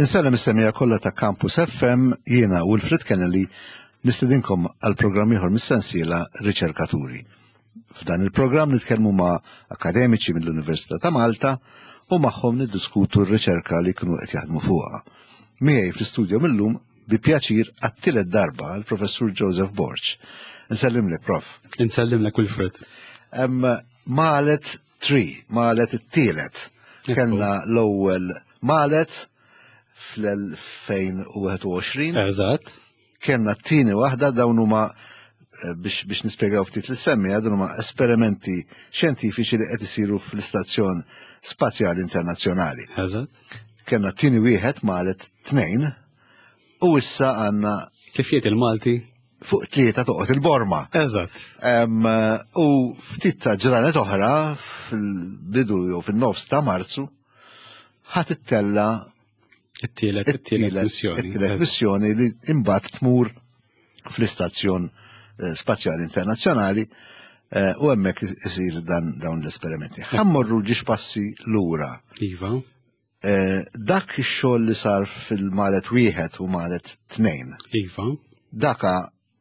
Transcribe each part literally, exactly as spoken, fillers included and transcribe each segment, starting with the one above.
Insellem is-semmiegħa kollha ta' Campus F M, jiena Wilfred Kennelly nistedinkom għal programm ieħor mis-sensiela Riċerkaturi. F'dan il-programm nitkellmu ma' akademiċi mill-Università ta' Malta u magħhom niddiskutu r-riċerka li kienu qed jaħdmu fuqha. Miegħi fl-istudio millum bi pjaċir għat-tielet darba l-Professur Joseph Borg. Nsellimlek, Prof. Nsellimlek, Wilfred. Malet tlieta, Malet it-tielet. Kellna l-ewwel Malet fl-elfejn u wieħed u għoxrin. Eżatt. Kellna t-tieni waħda. Dawn huma eh, biex, biex nispjegaw ftit lis-semmiegħa, dawn huma esperimenti xjentifiċi li qed isiru fl-Istazzjon Spazjali Internazzjonali. Eżatt. Kellna t-tieni wieħed, Malet tnejn, u issa għandna Kif jgħid il-Malti? Fuq tlieta toqgħod il-borma. Eżatt. Em, u ftit ta' ġranet oħra, fil-bidu jew fin-nofs ta' Marzu, ħa tittella It-tielet, it-tielet missjoni. It-tielet missjoni li imbagħad tmur fl-Istazzjon eh, Spazjali Internazzjonali eh, u hemmhekk isir dan dawn l-esperimenti. Ħa mmorru żewġ passi lura. Iva. Eh, dak ix-xogħol li sar fil-Malet wieħed u Malet tnejn. Iva. Daka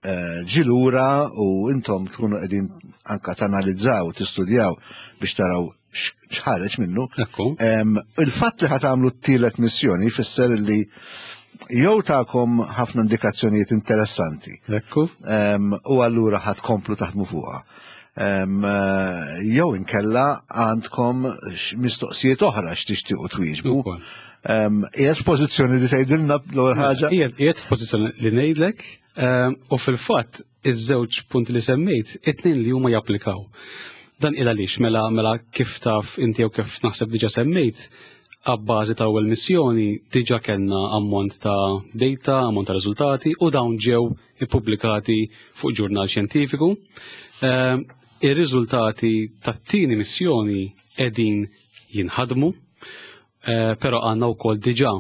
eh, ġie lura u intom tkunu qegħdin anka tanalizzaw, tistudjaw biex taraw x'ħareġ minnu. Ekku. Em, Il-fatt li ħa tagħmlu t-tielet missjoni jfisser li jew takom ħafna indikazzjonijiet interessanti Ekku. em, u allura ħa tkomplu taħdmu fuqha. Em, eh, Jew inkella għandkom x- mistoqsijiet oħra x'tixtiequ twieġbu. Ukoll. Em, Qiegħed f'pożizzjoni li tgħidilna l-ewwel ħaġa? Qiegħed qiegħed f'pożizzjoni li ngħidlek ehm, u fil-fatt iż-żewġ punti li semmejt, it-tnejn li huma japplikaw. Dan il għaliex mela mela kif taf inti jew kif naħseb diġà semmejt, għabbażi ta' ewwel missjoni diġà kellna ammont ta' data, ammont ta' riżultati u dawn ġew ippubblikati fuq ġurnal xjentifiku. Ehm, Ir-riżultati tat-tieni missjoni qegħdin jinħadmu, eh, però għandna wkoll diġà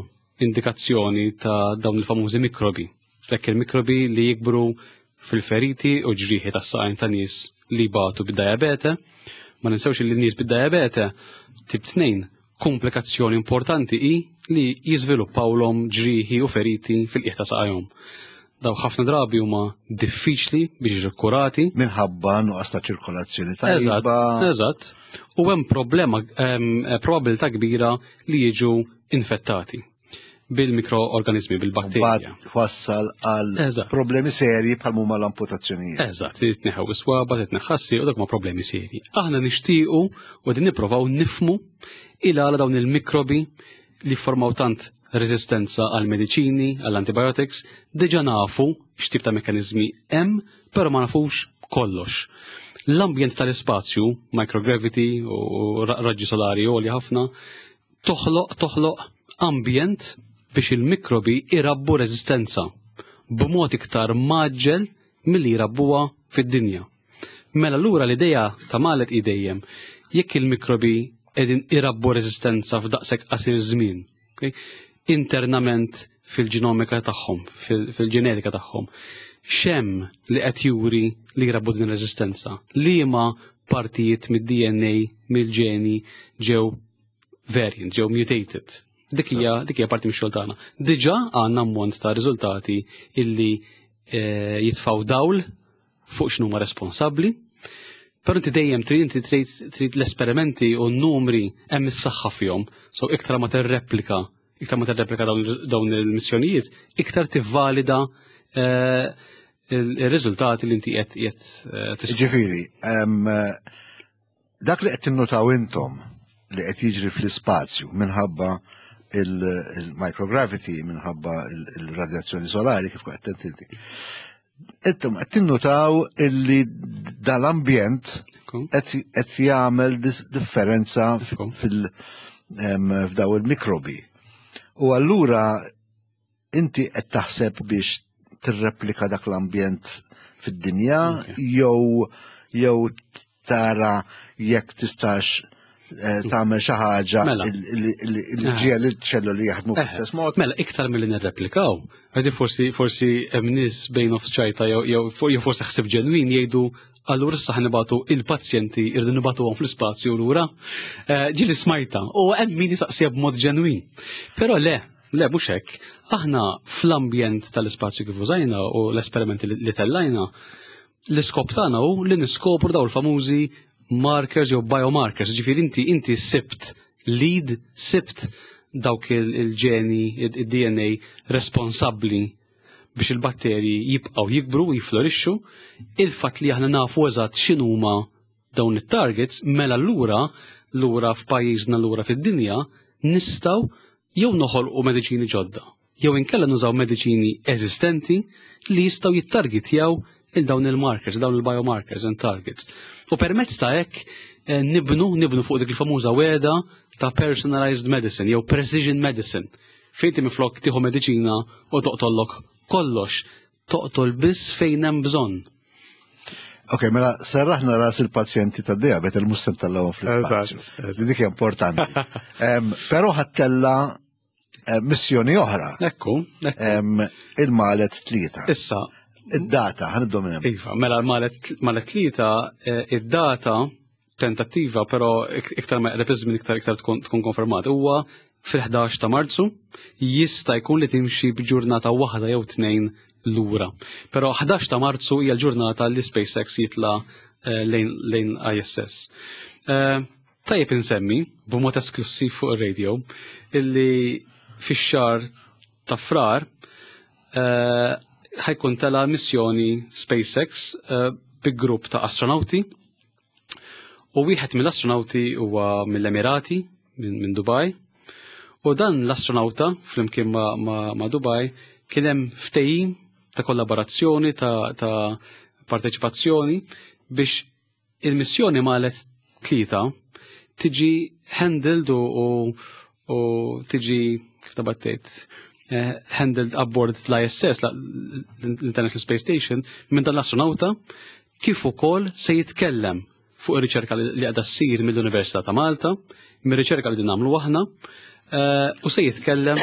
indikazzjoni ta' dawn il-famużi mikrobi. Dak il-mikrobi li jikbru fil-feriti u ġrieħi tas-saqajn ta' nies li batu bid-diabete. Ma ninsewx li nies bid-diabete tip tnejn, komplikazzjoni importanti hi li jiżviluppawlhom ġrieħi u feriti fil-qiegħ ta' saqajhom. Daw ħafna drabi huma diffiċli biex jiġu kurati. Minħabba nuqqas ta' ċirkolazzjoni Eżatt, tajba. eżatt. U hemm problema, hemm probabilità kbira li jiġu infettati bil-mikroorganizmi, bil-bakterja. Mbagħad wassal għal Eżatt. problemi serji bħal huma l-amputazzjonijiet. Eżatt, li tneħħew is-swaba, titneħħassi u dak ma problemi serji. Aħna nixtiequ u din nipprovaw nifmu il għala dawn il-mikrobi li formaw tant reżistenza għal mediċini, għall antibiotics, diġà nafu x'tip ta' mekanizmi hemm, però ma nafux kollox. L-ambjent tal-ispazju, microgravity u ra- raġġi solari għoli ħafna, toħloq toħloq ambjent biex il-mikrobi irabbu reżistenza b'mod iktar mgħaġġel milli jrabbuha fid-dinja. Mela lura l-idea ta' Malet hi dejjem jekk il-mikrobi qegħdin irabbu reżistenza f'daqshekk qasir żmien, okay? Internament fil-ġenomika tagħhom, fil- fil-ġenetika tagħhom, x'hemm li qed juri li jrabbu din ir-reżistenza? Liema partijiet mid-D N A, mill-ġeni ġew variant, ġew mutated? Dik hija dik hija parti mix-xogħol tagħna. Diġà għandna ammont ta' riżultati illi eh, jitfaw dawl fuq x'numa responsabbli. Però inti dejjem trid inti trid trid l-esperimenti u n-numri hemm is-saħħa fihom. So iktar ma tirreplika, iktar ma tirreplika dawn dawn il-missjonijiet, iktar tivvalida eh, il-riżultati li inti qed qed eh, tiskopri. Ġifieri, em, dak li qed tinnotaw intom li qed jiġri fl-ispazju minħabba il-microgravity, minħabba il-radjazzjoni solari kif qed inti. Intom qed tinnotaw illi dal-ambjent Ekku. qed qed jagħmel dis- differenza Ekku. fil em, f'daw il-mikrobi. U allura inti qed taħseb biex tirreplika dak l-ambjent fid-dinja Ok. jew jew tara jekk tistax eh, tagħmel xi ħaġa Mela. li ġiegħel iċ-ċelluli jaħdmu bl-istess mod. Mela, iktar milli nirreplikaw, għadi forsi forsi hemm nies bejn nofs ċajta jew jew jew forsi ħsib ġenwin jgħidu, allura issa ħa nibagħtu il-pazjenti, irridu nibagħtuhom fl-ispazju lura. Eh, Ġieli smajta u hemm min jisaqsija b'mod ġenwin. Però le, Le, mhux hekk. Aħna fl-ambjent tal-ispazju kif użajna u l-esperimenti li tellajna, l-iskop tagħna hu li niskopru daw il-famużi markers jew biomarkers. Ġifieri inti inti sibt lead, sibt dawk il-ġeni, il-D N A responsabbli biex il-batterji jibqgħu jikbru u jiflorixxu. Il-fatt li aħna nafu eżatt x'inhuma dawn it-targets, mela lura lura f'pajjiżna, lura fid-dinja, nistgħu jew noħolqu mediċini ġodda, jew inkella nużaw mediċini eżistenti li jistgħu jittargetjaw il dawn il-markers, dawn il-biomarkers and targets. U permezz ta' hekk eh, nibnu nibnu fuq dik il-famuża wegħda ta' personalized medicine jew precision medicine. Fejn inti miflok tieħu mediċina u toqtollok kollox, toqtol biss fejn hemm bżonn. Ok, mela serraħna ras il-pazjenti ta' diabete il mhux tellgħuhom fl-ispazju. Eżatt, eżatt. Dik hija importanti. Em, Però ħa ttella' eh, missjoni oħra. Ekku, ekku. Em, Il-Malet tlieta. Issa, Id-data, ħa nibdew minn hemm. Iva, mela l-Malet Malet tlieta, eh, id-data tentattiva, però ik- iktar ma jqreb iż-żmien iktar iktar tkun tkun konfermat. Huwa fil-ħdax ta' Marzu, jista' jkun li timxi b'ġurnata waħda jew tnejn lura. Però ħdax ta' Marzu hija l-ġurnata li SpaceX jitla eh, lejn lejn I S S. Eh, Tajjeb insemmi, b'mod esklusiv fuq ir-radio, illi fix-xahar ta' Frar eh, ħa jkun tela' missjoni SpaceX eh, bi grupp ta' astronauti u wieħed mill-astronauti huwa mill-Emirati, minn min Dubai. U dan l-astronauta flimkien ma', ma, ma Dubai kien hemm ftehim ta' kollaborazzjoni, ta', ta parteċipazzjoni biex il-missjoni Malet tlieta tiġi handled u, u, u tiġi, kif tabattejt, eh, handled aboard l-I S S, l-International Space Station, minn dan l-astronauta, kif ukoll se jitkellem fuq ir-riċerka li li qiegħda ssir mill-Università ta' Malta, mir-riċerka li din nagħmlu aħna, eh, u se jitkellem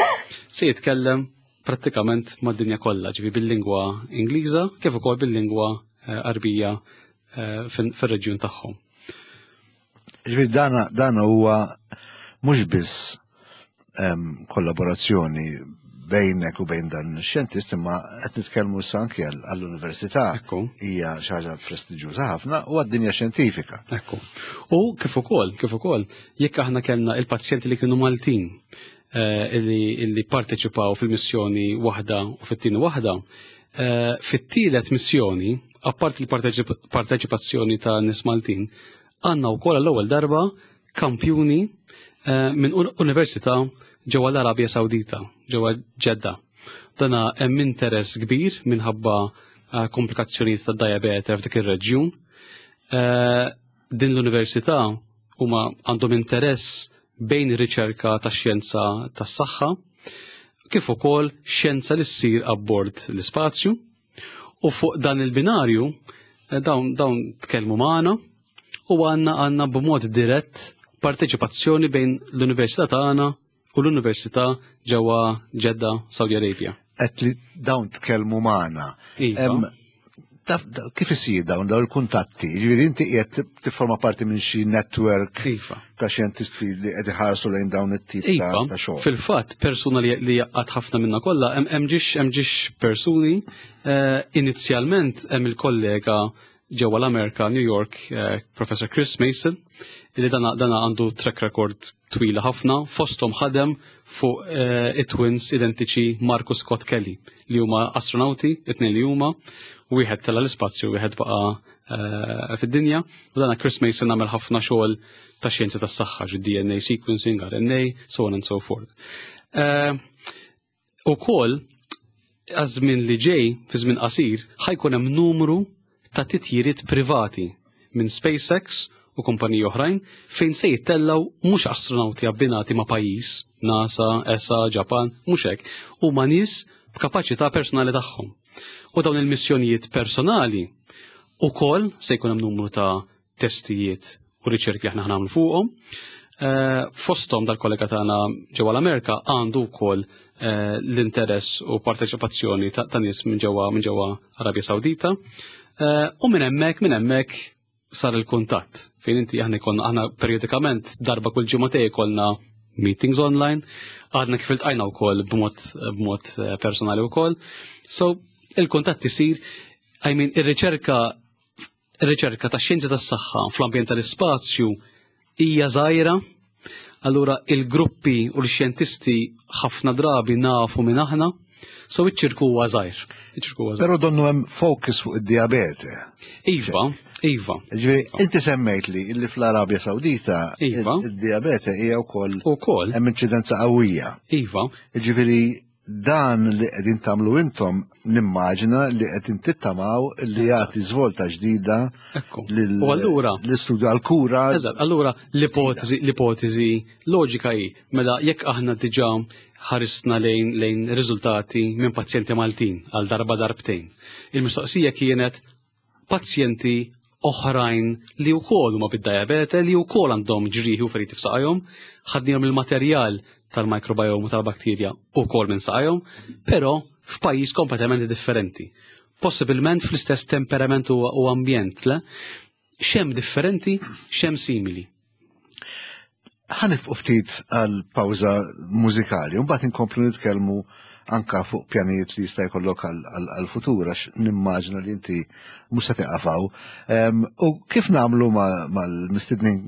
se jitkellem prattikament mad-dinja kollha, ġifi bil-lingwa Ingliża kif ukoll bil-lingwa eh, Arbija eh, fin- fir-reġjun tagħhom. Ġifieri dana dana huwa mhux biss em, kollaborazzjoni bejnek u bejn dan ix-xjentist, imma qed nitkellmu issa anke għall- għall-università. Ekku. Hija xi ħaġa prestiġjuża ħafna u għad-dinja xjentifika. Ekku. U kif ukoll, kif ukoll, jekk aħna kellna il-pazjenti li kienu Maltin eh, illi, illi parteċipaw fil-missjoni waħda u fit-tieni waħda, eh, fit-tielet missjoni, apart il-parteċipazzjoni ta' nies Maltin, għandna wkoll għall-ewwel darba kampjuni eh, minn un- università ġewwa l-Arabja Sawdita, ġewwa Ġedda. Dana hemm interess kbir minħabba eh, komplikazzjonijiet ta' diabete f'dik ir-reġjun. Eh, din l-università huma għandhom interess bejn ir-riċerka ta' xjenza tas-saħħa kif ukoll xjenza li ssir abbord l-ispazju, u fuq dan il-binarju eh, dawn dawn tkellmu magħna u għandna għandna b'mod dirett parteċipazzjoni bejn l-università tagħna u l-università ġewwa Ġedda, Saudi Arabia. Qed li dawn tkellmu magħna. Iva. Em, taf- da- Kif isir dawn dawn il-kuntatti? Ġifieri inti qiegħed tifforma parti minn xi network Iva. ta' xjentisti li qed iħarsu lejn dawn it-tip ta' Iva, ta' xogħol. Fil-fatt, persuna li li jaqgħad ħafna minna kollha, hemm hemm ġiex hemm ġiex persuni, eh, inizjalment hemm il-kollega ġewwa l-Amerika, New York, eh, Professor Chris Mason, li dana, dana għandu track record twila ħafna, fosthom ħadem fuq eh, it-twins identiċi Marcus Scott Kelly, li huma astronauti, it-tnejn li huma, wieħed tela l-ispazju, wieħed baqa eh, fid-dinja, u dana Chris Mason għamel ħafna xogħol ta' xjenza tas-saħħa, ġu D N A sequencing, R N A, so on and so forth. Eh, U kol, għaż-żmien li ġej, fi żmien qasir, ħa jkun hemm numru ta' titjiriet privati minn SpaceX u kumpaniji oħrajn fejn se jittellaw mhux astronauti abbinati ma' pajjiż, NASA, E S A, Japan, mhux hekk, huma nies b'kapaċità personali tagħhom. U dawn il-missjonijiet personali ukoll se jkun hemm numru ta' testijiet u riċerki li aħna nagħmlu fuqhom. Eh, Fosthom dal-kollega tagħna ġewwa l-Amerika għandu wkoll eh, l-interess u parteċipazzjoni ta' ta' nies minn ġewwa minn ġewwa Arabja Sawdita. Eh, U minn hemmhekk minn hemmhekk sar il-kuntatt fejn inti aħna jkollna, aħna periodikament darba kull ġimgħatej jkollna meetings online, għadna kif iltqajna wkoll b'mod b'mod eh, personali wkoll. So il-kuntatt isir, I mean, ir-riċerka ir-riċerka ta' xjenzi tas-saħħa fl-ambjent tal-ispazju hija żgħira, allura il-gruppi u l-xjentisti ħafna drabi nafu minn aħna, so iċ-ċirku huwa żgħir. Iċ-ċirku huwa żgħir. Però donnu hemm focus fuq id-diabete. Iva, iva. Ġifieri, inti semmejt li illi fl-Arabja Sawdita Iva. id-diabete hija wkoll Ukoll, hemm inċidenza qawwija. iva, Ġifieri dan li qegħdin tagħmlu intom nimmaġina li qegħdin tittamaw li jagħti żvolta ġdida ekku. lil- U allura, l-istudju għal-kura. Eżatt, allura l-ipotezi, l-ipotezi loġika hi, mela jekk aħna diġà ħarisna lejn lejn riżultati minn pazjenti Maltin għal darba darbtejn. Il-mistoqsija kienet pazjenti oħrajn li wkoll huma bid-diabete, li wkoll għandhom ġrieħi u feriti f'saqajhom, ħadnihom il-materjal tal-microbiome u tal-bakterja wkoll minn saqajhom, però f'pajjiż kompletament differenti. Possibilment fl-istess temperament u, u ambjent, le? X'hemm differenti, x'hemm simili. Ħa nieqfu ftit għal pawża mużikali, u mbagħad inkomplu nitkellmu anka fuq pjanijiet li jista' jkollok għal-futur għax nimmaġina li inti mhux se tieqaf hawn. Em, U kif nagħmlu ma- mal-mistednin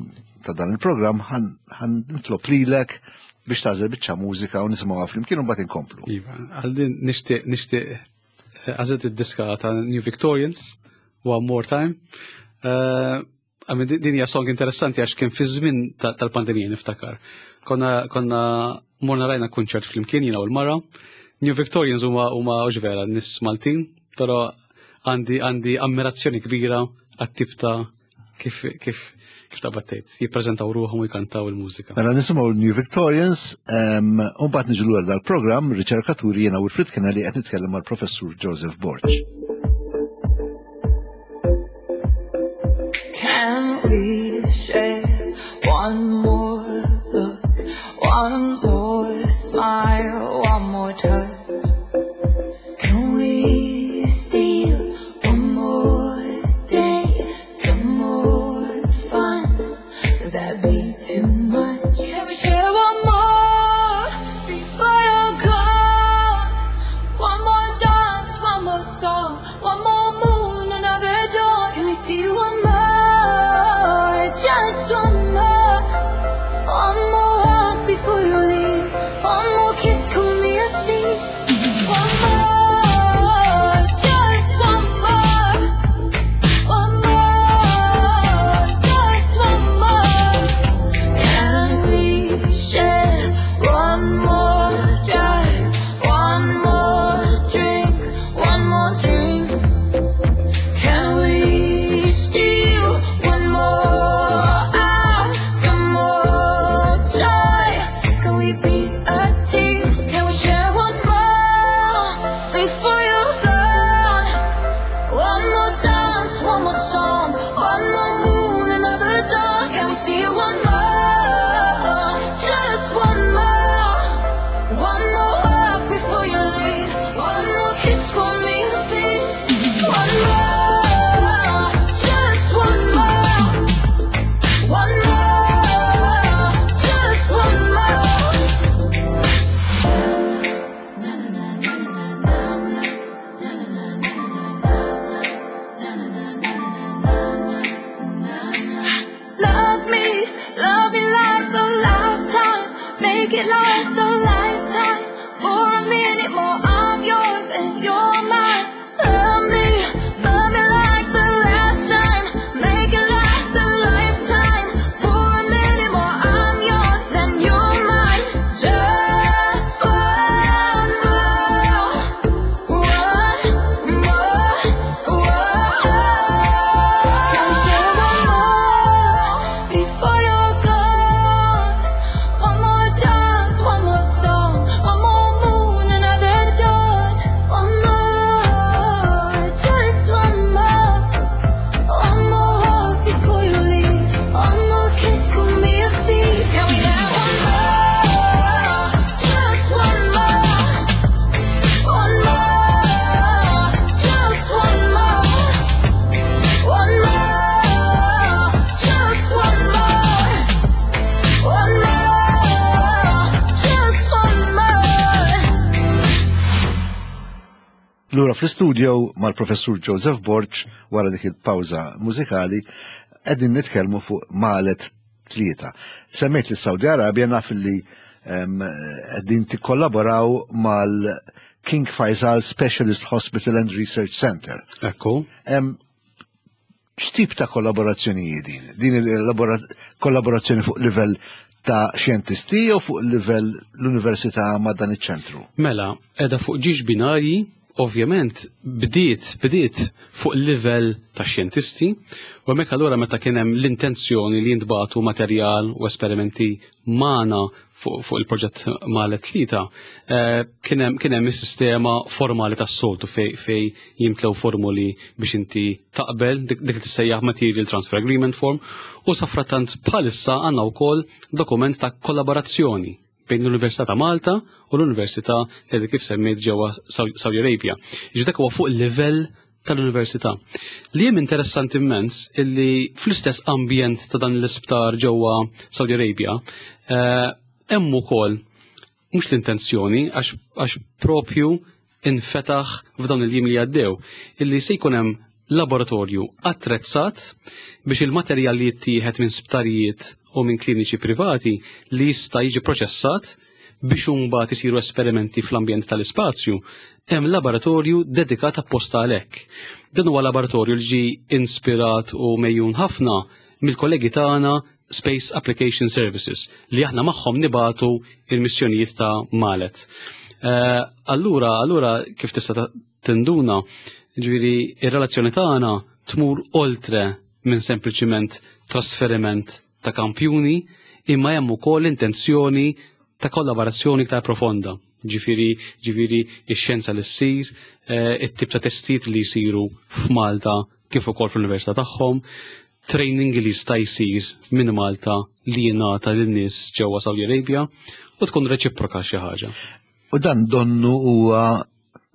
ta' dan il-programm ħa nitlob lilek biex tagħżel biċċa mużika u nisimgħuha flimkien u mbagħad inkomplu. Iva, għal din nixtieq nixtieq eh, għażilt id-diska ta' New Victorians, One More Time. Eh, I mean, din hija song interessanti għax kien fi żmien ta- tal-pandemija niftakar. Konna konna morna rajna kunċert flimkien jiena u l-mara. New Victorians huma huma hux vera nies Maltin, però għandi għandi ammirazzjoni kbira għat-tip ta' kif kif kif ta' battejt, jippreżentaw ruħhom u jkantaw il-mużika. Mela nisimgħu New Victorians, em, u mbagħad niġu lura dal-programm Riċerkaturi jiena Wilfred Kennelly qed nitkellem mal-Professur Joseph Borg. Can we share one more look, one more smile, one more touch? Can we steal one more day, some more fun? Would that be too much? Can we share one more before you're gone? One more dance, one more song, one more moon, another dawn. Can we steal one more? Just one more. One more hug before you leave. One more kiss, call me a thief. One more, just one more. One more, just one more. Can we share one more drive, one more drink, one more dream? Can we steal one more hour, some more joy? Can we be a team? Can we share one more before you're gone? One more dance, one more song, one more moon, another dawn. Can we steal one more? Just one more. One more hug before you leave. One more kiss, call me a thief. One more, just one more. One more, just one more. Na na na na na na na na na na na na na na na na. Love me, love me like the last time. Make it last a lifetime. For a minute more, I'm yours and you're mine. Love me, love me like the last time. Make it last a lifetime. For a minute more, I'm yours and you're mine. Just one more, one more, one. Can we share one more before you're gone? One more dance, one more Lura fl-istudio mal-professur Joseph Borg wara dik il-pawża mużikali qegħdin nitkellmu fuq Malet tlieta. Semmejt li Saudi Arabia, naf li qegħdin tikkollaboraw mal-King Faisal Specialist Hospital and Research Center. Ekku. X'tip ta' kollaborazzjoni din? Din il-kollaborazzjoni fuq livell ta' xjentisti jew fuq livell l-università ma' dan iċ-ċentru? Mela, edha fuq żewġ binarji. Ovvjament bdiet bdiet fuq livell ta' xjentisti u hemmhekk allura meta kien hemm l-intenzjoni li jintbagħtu materjal u esperimenti magħna fuq fu il-proġett Malet tlieta, eh, kien hemm is-sistema formali tas-soltu fej, fej jimtlew formuli biex inti taqbel dik li tissejjaħ Material Transfer Agreement Form, u safrattant bħalissa għandna wkoll dokument ta' kollaborazzjoni bejn l-Università ta' Malta u l-Università li kif semmejt ġewwa Saudi Arabia. Ġi dak huwa fuq il-livell tal-università. Li hemm interessanti immens illi fl-istess ambjent ta' dan l-isptar ġewwa Saudi Arabia eh, hemm ukoll mhux l-intenzjoni, għax propju infetaħ f'dawn il-jiem li għaddew, illi se jkun hemm laboratorju attrezzat biex il-materjal li jittieħed minn sptarijiet u minn kliniċi privati li jista' jiġi proċessat biex imbagħad isiru esperimenti fl-ambjent tal-ispazju, hemm laboratorju dedikat apposta għalhekk. Dan huwa laboratorju li ġi inspirat u mejjun ħafna mill-kollegi tagħna Space Application Services li aħna magħhom nibatu il-missjonijiet ta' Malet. Uh, allura, allura kif tista' tinduna, ġifieri ir-relazzjoni tagħna tmur oltre minn sempliċiment trasferiment ta' kampjuni, imma hemm ukoll intenzjoni ta' kollaborazzjoni iktar profonda. Ġifieri, ġifieri ix-xjenza li ssir, eh, it-tip ta' testijiet li jsiru f'Malta kif ukoll fl-università tagħhom, training li jista' jsir minn Malta li jingħata lin-nies ġewwa Saudi Arabia u tkun reċiproka xi ħaġa. U dan donnu huwa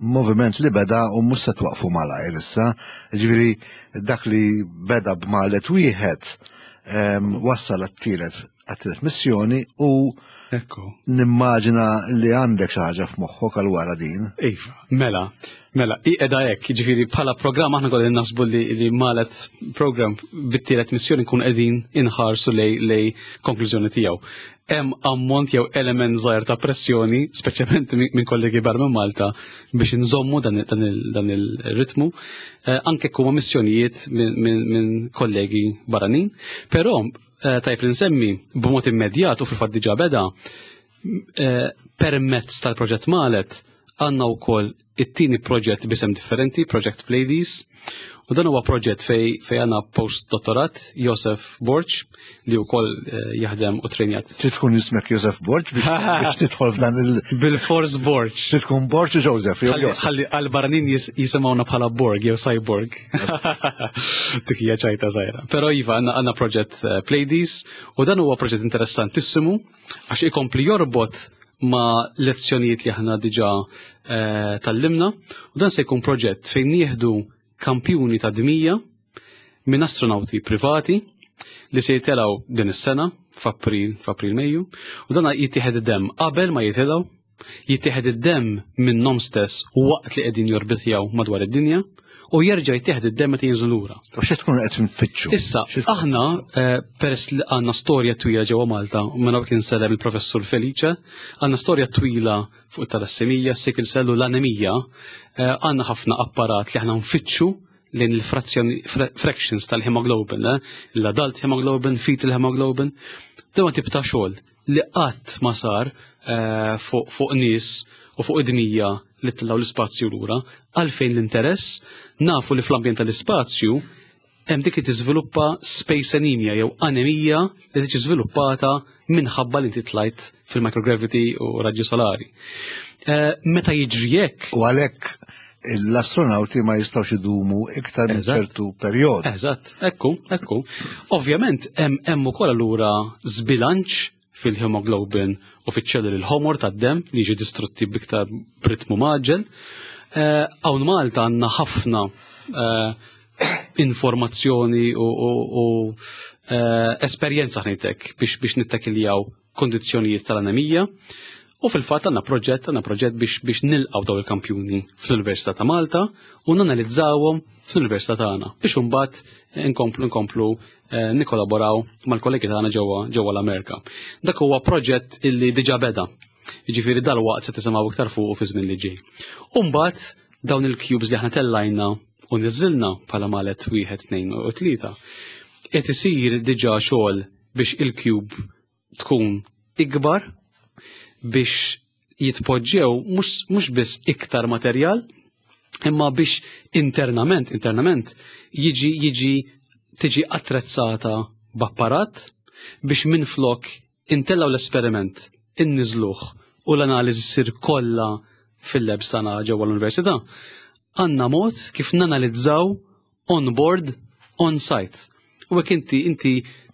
moviment li beda u mhux se twaqfu malajr issa. Ġifieri dak li beda b'Malet wieħed wassal għat-tielet għat-tielet missjoni u Ekku. nimmaġina li għandek xi ħaġa f'moħħok għal wara din. Iva, mela, mela, qiegħda hekk, jiġifieri bħala programm aħna kollha naħsbu li, li Malet program bit-tielet missjoni nkun qegħdin inħarsu lej lej konklużjoni tiegħu. Hemm ammont jew element żgħir ta' pressjoni, speċjalment minn kollegi barra minn Malta, biex inżommu dan, dan, dan il-ritmu, eh, anke huma missjonijiet minn min, min kollegi barranin, però eh, tajb li nsemmi b'mod immedjat u fil-fatt diġà beda eh, permezz tal-proġett Malet għandna wkoll it-tieni proġett b'isem differenti, Project Pleiades, u dan huwa proġett fej fej għandna post-dottorat Josef Borg li wkoll eh, jaħdem u trenjat. Trid tkun ismek Josef Borg biex, biex tidħol f'dan il- Bil-Force Borg. Trid tkun Borg u Joseph jew Josef. Ħalli għal-barranin jis, jisimgħuna bħala Borg jew Cyborg. Dik hija ċajta żgħira. Però iva għandna għandna proġett eh, Pleiades u dan huwa proġett interessantissimu għax ikompli jorbot ma' lezzjonijiet li aħna diġà eh, tallimna, u dan se jkun proġett fejn nieħdu kampjuni ta' dmija minn astronauti privati li se jitilgħu din is-sena f'April, f'April Mejju, u dan jittieħed id-demm qabel ma jitilgħu, jittieħed id-demm minnhom stess waqt li qegħdin jorbitjaw madwar id-dinja u jerġa' jittieħed id-demm meta jinżlu lura. U xi tkun qed nfittxu? Issa, Xi tkun aħna, eh, peress li għandna storja twila ġewwa Malta, u minn hawn insellem il-professur Felice, għandna storja twila fuq it-talassemija, sickle cell u l-anemija, eh, għandna ħafna apparat li aħna nfittxu lejn il-frazzjoni fractions tal-hemoglobin, eh, l-adult hemoglobin, fetal hemoglobin, dan tip ta' xogħol li qatt ma sar eh, fuq fuq nies u fuq id-dmija li tilgħu l-ispazju lura, għalfejn l-interess, nafu li fl-ambjent tal-ispazju hemm dik li tiżviluppa space anemia jew anemija li tiġi żviluppata minħabba li inti tlajt fil-microgravity u raġġi solari. Eh, meta jiġri hekk, U għalhekk l-astronauti ma jistgħux idumu iktar minn Eżatt. ċertu perjodu. Eżatt, ekku, ekku. Ovvjament hemm hemm ukoll allura żbilanċ fil-hemoglobin u fiċ-ċelluli l-ħomor tad-dem li jiġi distrutti biktar b'ritmu mgħaġġel. Eh, Hawn Malta għandna ħafna eh, informazzjoni u, u, u eh, esperjenza ħnejtek biex biex nittakiljaw kondizzjonijiet tal-anemija. U fil-fatt għandna proġett, għandna proġett biex biex nilqgħu dawn il-kampjuni fl-Università ta' Malta u nanalizzawhom fl-Università tagħna biex imbagħad inkomplu nkomplu eh, nikkollaboraw mal-kollegi tagħna ġewwa ġewwa l-Amerika. Dak huwa proġett illi diġà beda. Jiġifieri dalwaqt se tisimgħu iktar fuq fi żmien li ġej. U mbagħad dawn il-cubes li aħna tellajna u niżilna bħala Maleth wieħed, tnejn u tlieta. Qed isir diġà xogħol biex il-cube tkun ikbar biex jitpoġġew mhux biss iktar materjal, imma biex internament, internament jiġi jiġi tiġi attrezzata b'apparat biex minflok intellaw l-esperiment, inniżluh u l-analiżi ssir kollha fil-lab tagħna ġewwa l-università. Għandna mod kif nanalizzaw on board, on site. U hekk inti inti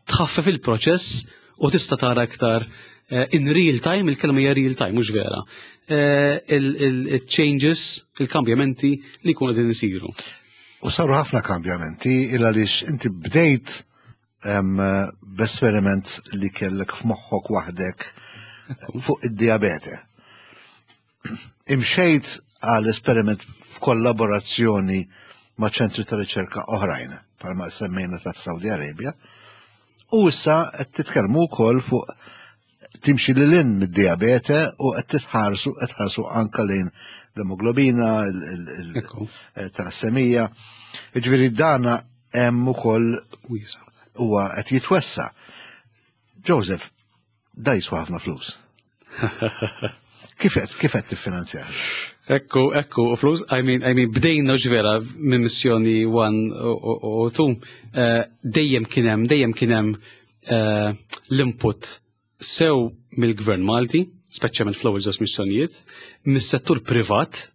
tħaffef il-proċess u tista' tara iktar eh, in real time, il-kelma hija real time, mhux vera. Eh, il-changes, il-kambjamenti li jkunu qegħdin isiru. U saru ħafna kambjamenti il għaliex inti bdejt b'esperiment li kellek f'moħħok waħdek fuq id-diabete. Imxejt għal esperiment f'kollaborazzjoni ma' ċentri ta' riċerka oħrajn, bħalma semmejna ta' Saudi Arabia, u issa qed titkellmu wkoll fuq timxi lil hinn mid-diabete u qed titħarsu qed tħarsu anka lejn l-emoglobina, il-talassemija. Jiġifieri dana hemm ukoll huwa qed jitwessa. Joseph, da jiswa ħafna flus. Kif qed kif qed tiffinanzjah? Ekku, ekku, u flus, I mean, I mean, bdejna ġvera minn missjoni one u two, dejjem kien hemm, dejjem kien hemm eh, l-input sew mill-gvern Malti, speċjalment fl-ewwel żewġ missjonijiet, mis-settur privat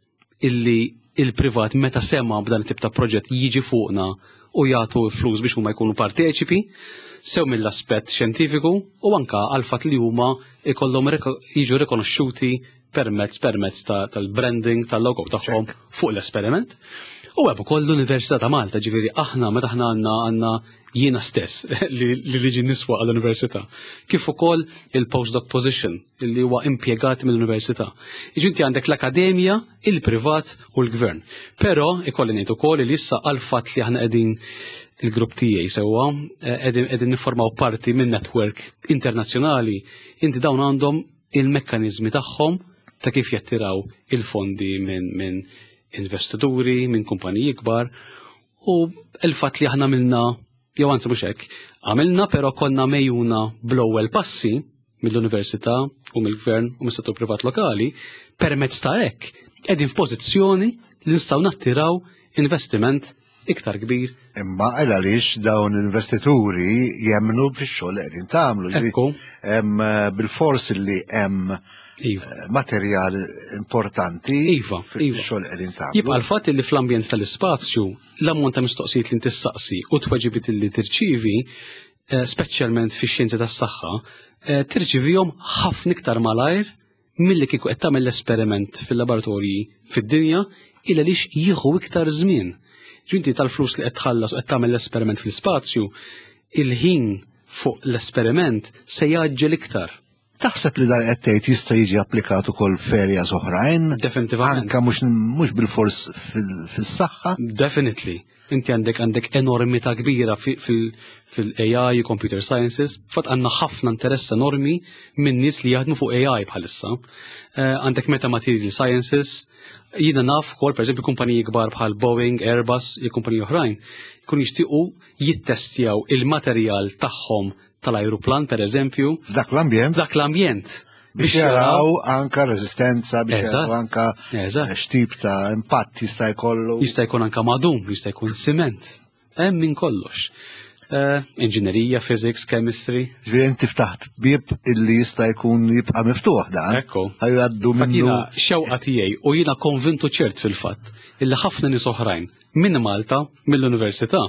illi il-privat meta sema b'dan it-tip ta' proġett jiġi fuqna u jagħtu flus biex huma jkunu parteċipi, sew mill-aspett xjentifiku u anka għal fatt li huma ikollhom jiġu rikonoxxuti permezz permezz tal-branding tal-logo tagħhom fuq l-esperiment. U hemm ukoll l-Università ta' Malta, ġifieri aħna meta aħna għandna għandna jiena stess li li niswa għall-università. Kif ukoll il-postdoc position li huwa impjegat mill-università. Jiġi għandek l-akademja, il-privat u l-gvern. Però ikolli ngħid ukoll li issa għal fatt li aħna qegħdin il-grupp tiegħi sewwa qegħdin qegħdin niffurmaw parti minn network internazzjonali, inti dawn għandhom il-mekkaniżmi tagħhom ta' kif jattiraw il-fondi minn min investituri, minn kumpaniji kbar u il-fatt li aħna minna jew anzi mhux hekk, għamilna però konna megħjuna bl-ewwel passi mill-università u mill-gvern u mis-settur privat lokali, permezz ta' hekk qegħdin f'pożizzjoni li nistgħu nattiraw investiment iktar kbir. Imma għal għaliex dawn l-investituri jemmnu fix-xogħol li qegħdin tagħmlu. Ekku. Hemm bil-fors li hemm Iva. materjal importanti Iva, iva. fix-xogħol li qegħdin tagħmlu. Jibqa' l-fatt li fl-ambjent tal-ispazju l-ammont ta' mistoqsijiet li tissaqsi u tweġibiet li tirċivi, eh, speċjalment fix-xjenzi tas-saħħa, eh, tirċivihom ħafna iktar malajr milli kieku qed tagħmel l-esperiment fil-laboratorji fid-dinja illa lix jieħu iktar żmien. Ġinti tal-flus li qed tħallas u qed tagħmel l-esperiment fl-ispazju, il-ħin fuq l-esperiment se jgħaġġel iktar. Taħseb li dan qed tgħid jista' jiġi applikat ukoll f'areas oħrajn? Definitivament. Anka mhux mhux bil-fors fil- fis-saħħa? Definitely. Inti għandek għandek enormità kbira fil-A I, computer sciences, fatt għandna ħafna interess enormi minn nies li jaħdmu fuq A I bħalissa. Eh, Għandek metamaterial sciences, jiena naf ukoll per eżempju kumpaniji kbar bħal Boeing, Airbus, jew kumpaniji oħrajn, jkun jixtiequ jittestjaw il-materjal tagħhom tal-ajruplan per eżempju, F'dak l-ambjent f'dak l-ambjent. Biex jaraw anka reżistenza, biex Eżatt. jaraw anka Eżatt. x'tip ta' impatt jista' jkollu. Jista' jkun anka madum, jista' jkun siment. Hemm minn kollox. Eh, Inġinerija, physics, chemistry. Ġifieri inti ftaħt bieb illi jista' jkun jibqa' miftuħ dan. Ekku. Ħa jgħaddu Fatt minnu. jiena xewqa tiegħi u jiena konvintu ċert fil-fatt illi ħafna nies oħrajn minn Malta, mill-università,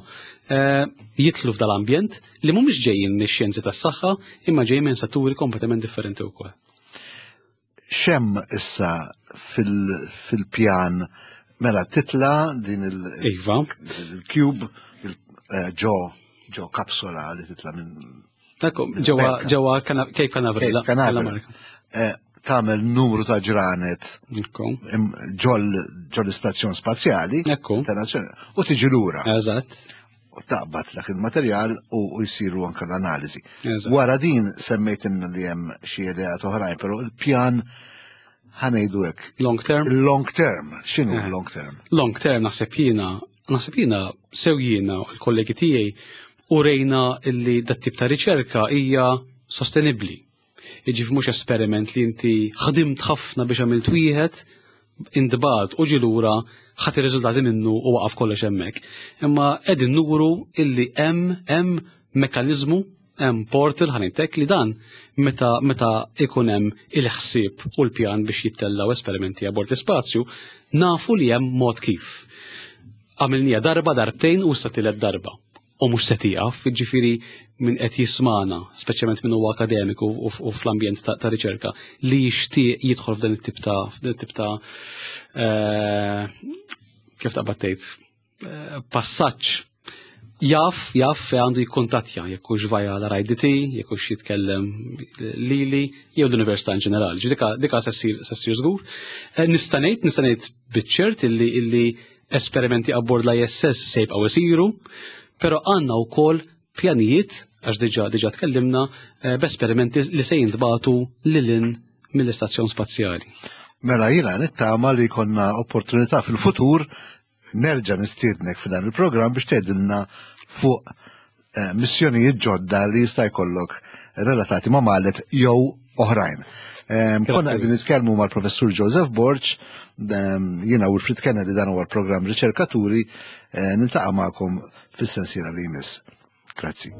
eh, jidħlu f'dal-ambjent li mhumiex ġejjin mix-xjenzi tas-saħħa imma ġejjin minn setturi kompletament differenti wkoll. X'hemm issa fil- fil-pjan mela titla din il- Iva. il-cube il- eh, ġo ġo kapsula li titla minn Ekku, ġewwa Bekka. ġewwa Cana- Cape Canaveral. Cape Canaveral. l-Amerika. Eh, Tagħmel numru ta' ġranet Ekku. im- ġol ġol istazzjon spazjali Ekku. internazzjonali u tiġi lura Eżatt. U taqbad dak il-materjal u u jsiru anka l-analiżi. Eżatt. Wara din semmejt li hemm xi ideat oħrajn, però il-pjan, ħa ngħidu hekk, Long term. Il-long term, x'inhu Eh. long term? Long term, naħseb jiena, naħseb jiena sew jiena u l-kollegi tiegħi u rejna illi dat tip ta' riċerka hija sostenibbli. Jiġifieri mhux esperiment li inti ħdimt ħafna biex għamilt wieħed, intbagħat u ġie lura, ħadt ir-riżultati minnu u waqaf kollox hemmhekk. Imma qegħdin nuru illi hemm hemm mekkaniżmu, hemm portal, ħa ngħidlek, li dan meta meta ikun hemm il-ħsieb u l-pjan biex jittellaw esperimenti abbord l-ispazju, nafu li hemm mod kif. Għamilnieha darba, darbtejn u sa tielet darba. U mhux se tieqaf, jiġifieri min qed jismana, speċjalment min huwa akademiku u u fl-ambjent ta' ta' riċerka, li jixtieq jidħol f'dan it-tip ta' f'dan it-tip ta' eh, kif taqbad tgħid, eh, passaġġ, jaf, jaf fejn għandu jikkuntattja, jekk hux via l-R I D T, jekk hux jitkellem lili, jew l-Università in ġenerali. Ġi dika, dika se ssir se ssir żgur. Eh, Nista' ngħid, nista' ngħid biċ-ċert illi illi esperimenti abbord l-I S S se jibqgħu isiru, però għandna wkoll pjanijiet, għax diġà diġà tkellimna eh, b'esperimenti li se jintbagħtu lil hinn mill-istazzjon spazjali. Mela jiena nittama li jkollna opportunità fil-futur nerġa' nistiednek f'dan il-programm biex tgħidilna fuq eh, missjonijiet ġodda li jista' jkollok relatati ma' Maleth jew oħrajn. Em, Konna qegħdin nitkellmu mal-professur Joseph Borg, em, jiena Wilfried Kennedy, dan huwa l-programm Riċerkaturi, eh, niltaqa' magħkom fis-sensiela li jmiss. Grazzi.